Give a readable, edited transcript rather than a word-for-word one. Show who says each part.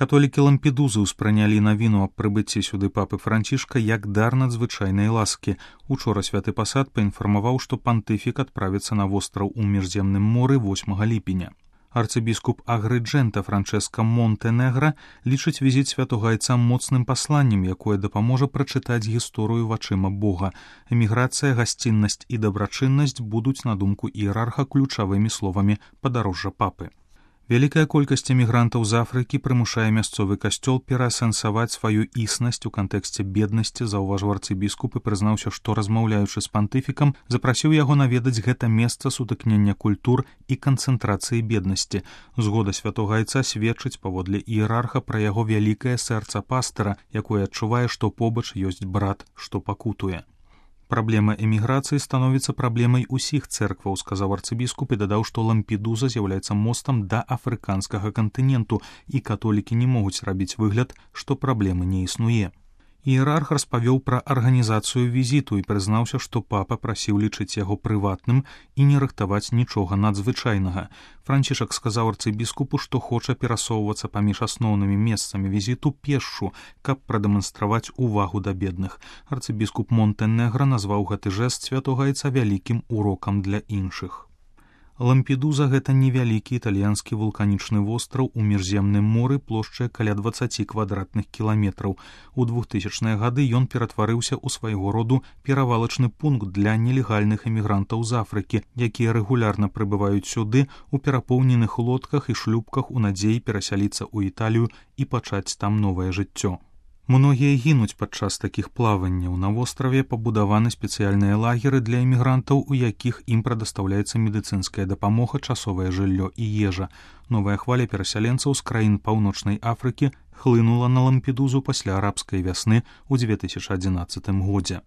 Speaker 1: Католікі Лампедузы ўспрынялі навіну аб прыбыцці сюды папы Францішка як дар надзвычайнай ласкі. Учора святы пасад паінфармаваў, што пантыфік адправіцца на востраў у Міжземным моры 8 ліпеня. Арцыбіскуп Агрыджэнта Франчэска Монтэнегра лічыць візіт святога айца моцным пасланнем, якое дапаможа прачытаць гісторыю вачыма Бога. Эміграцыя, гасціннасць і дабрачыннасць будуць, на думку іерарха, ключавымі словамі падарожжа папы. Вялікая колькасць эмігрантаў з Афрыкі прымушае мясцовы касцёл пераасэнсаваць сваю існасць у кантэксце беднасці, заўважыў арцыбіскуп і прызнаўся, што, размаўляючы з пантыфікам, запрасіў яго наведаць гэта месца сутыкнення культур і канцэнтрацыі беднасці. Згода святога айца сведчыць, паводле іерарха, пра яго вялікае сэрца пастыра, якое адчувае, што побач ёсць брат, што пакутуе. Праблема эміграцыі становіцца праблемай усіх цэркваў, сказаў арцыбіскуп і дадаў, што Лампедуза з'яўляецца мостам да афрыканскага кантыненту, і католікі не могуць рабіць выгляд, што праблемы не існуе. Іерарх распавёў пра арганізацыю візіту і прызнаўся, што папа прасіў лічыць яго прыватным і не рыхтаваць нічога надзвычайнага. Францішак сказаў арцыбіскупу, што хоча перасоўвацца паміж асноўнымі месцамі візіту пешшу, каб прадэманстраваць увагу да бедных. Арцыбіскуп Монтэнегра назваў гэты жэст святога айца вялікім урокам для іншых. Лампедуза – гэта невялікі італьянскі вулканічны востраў у Міжземным моры плошчай каля 20 квадратных кіламетраў. У 2000-е гады ён ператварыўся ў свайго роду перавалачны пункт для нелегальных эмігрантаў з Афрыкі, якія рэгулярна прыбываюць сюды ў перапоўненых лодках і шлюпках у надзеі перасяліцца ў Італію і пачаць там новае жыццё. Многія гінуць падчас такіх плаванняў. На востраве пабудаваны спецыяльныя лагеры для эмігрантаў, у якіх ім прадастаўляецца медыцынская дапамога, часовае жыллё і ежа. Новая хваля перасяленцаў з краін Паўночнай Афрыкі хлынула на Лампедузу пасля арабскай вясны ў 2011 годзе.